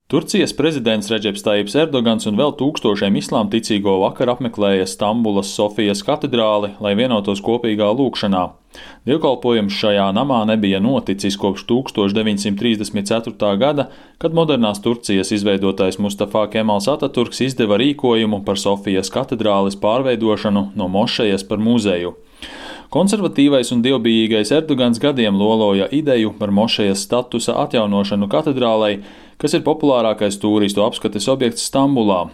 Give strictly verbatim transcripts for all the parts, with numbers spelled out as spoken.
Turcijas prezidents Redžeps Tajips Erdogans un vēl tūkstošiem islāma ticīgo vakar apmeklēja Stambulas Sofijas katedrāli, lai vienotos kopīgā lūgšanā. Dievkalpojums šajā namā nebija noticis kopš tūkstoš deviņsimt trīsdesmit ceturtā gada, kad modernās Turcijas izveidotais Mustafa Kemals Ataturks izdeva rīkojumu par Sofijas katedrāles pārveidošanu no mošejas par muzeju. Konservatīvais un dievbijīgais Erdogans gadiem loloja ideju par mošejas statusa atjaunošanu katedrālei, kas ir populārākais tūristu apskates objekts Stambulā.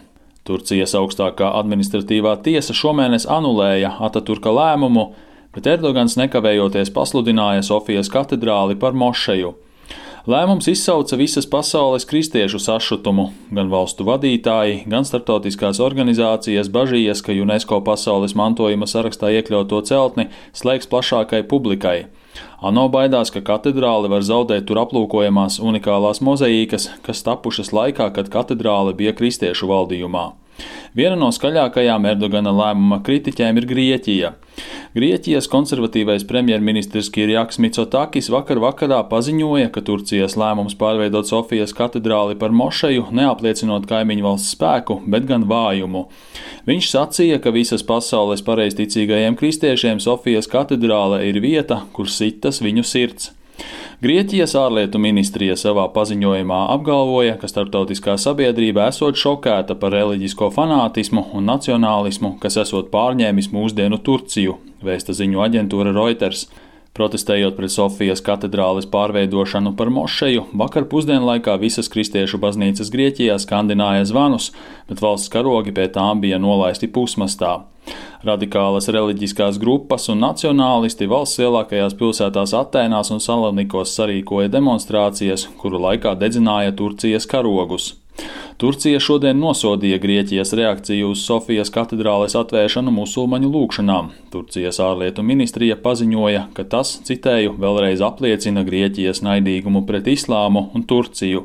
Turcijas augstākā administratīvā tiesa šomēnes anulēja Ataturka lēmumu, bet Erdogans nekavējoties pasludināja Sofijas katedrāli par mošeju. Lēmums izsauca visas pasaules kristiešu sašutumu. Gan valstu vadītāji, gan starptautiskās organizācijas bažījies, ka UNESCO pasaules mantojuma sarakstā iekļauto celtni slēgs plašākai publikai. ANO baidās, ka katedrāle var zaudēt tur aplūkojamās unikālās mozaīkas, kas tapušas laikā, kad katedrāle bija kristiešu valdījumā. Viena no skaļākajām Erdogana lēmuma kritiķēm ir Grieķija. Grieķijas konservatīvais premjerministrs Kirjaks Mitsotakis vakar vakarā paziņoja, ka Turcijas lēmums pārveidot Sofijas katedrāli par mošeju neapliecinot kaimiņu valsts spēku, bet gan vājumu. Viņš sacīja, ka visas pasaules pareizticīgajiem kristiešiem Sofijas katedrāle ir vieta, kur sitas viņu sirds. Grieķijas ārlietu ministrija savā paziņojumā apgalvoja, ka starptautiskā sabiedrība esot šokēta par reliģisko fanātismu un nacionālismu, kas esot pārņēmis mūsdienu Turciju, vēsta ziņu aģentūra Reuters. Protestējot pret Sofijas katedrāles pārveidošanu par mošeju, vakar pusdienlaikā visas kristiešu baznīcas Grieķijā skandināja zvanus, bet valsts karogi pie tām bija nolaisti pusmastā. Radikālas reliģiskās grupas un nacionālisti valsts lielākajās pilsētās Atēnās un Salonikos sarīkoja demonstrācijas, kuru laikā dedzināja Turcijas karogus. Turcija šodien nosodīja Grieķijas reakciju uz Sofijas katedrāles atvēršanu musulmaņu lūgšanām. Turcijas ārlietu ministrija paziņoja, ka tas, citēju, vēlreiz apliecina Grieķijas naidīgumu pret islāmu un Turciju.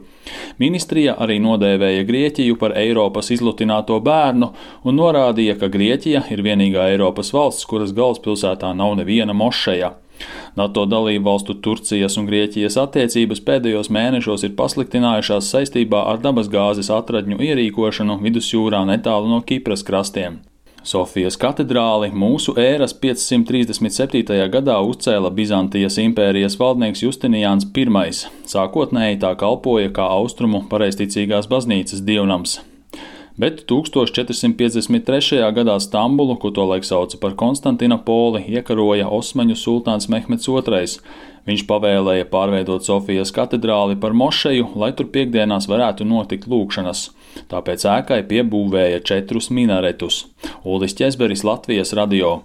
Ministrija arī nodēvēja Grieķiju par Eiropas izlutināto bērnu un norādīja, ka Grieķija ir vienīgā Eiropas valsts, kuras galvaspilsētā nav neviena mošeja. NATO dalību valstu Turcijas un Grieķijas attiecības pēdējos mēnešos ir pasliktinājušās saistībā ar dabasgāzes atradņu ierīkošanu vidusjūrā netālu no Kipras krastiem. Sofijas katedrāli mūsu ēras piecsimt trīsdesmit septītajā gadā uzcēla Bizantijas impērijas valdnieks Justinijāns Pirmais. Sākotnēji tā kalpoja kā austrumu pareizticīgās baznīcas dievnams. Bet tūkstoš četrsimt piecdesmit trešajā gadā Stambulu, ko tolaik sauca par Konstantinopoli, iekaroja Osmaņu sultāns Mehmeds Otrais. Viņš pavēlēja pārveidot Sofijas katedrāli par mošeju, lai tur piekdienās varētu notikt lūgšanas. Tāpēc ēkai piebūvēja četrus minaretus. Uldis Ķezberis, Latvijas radio.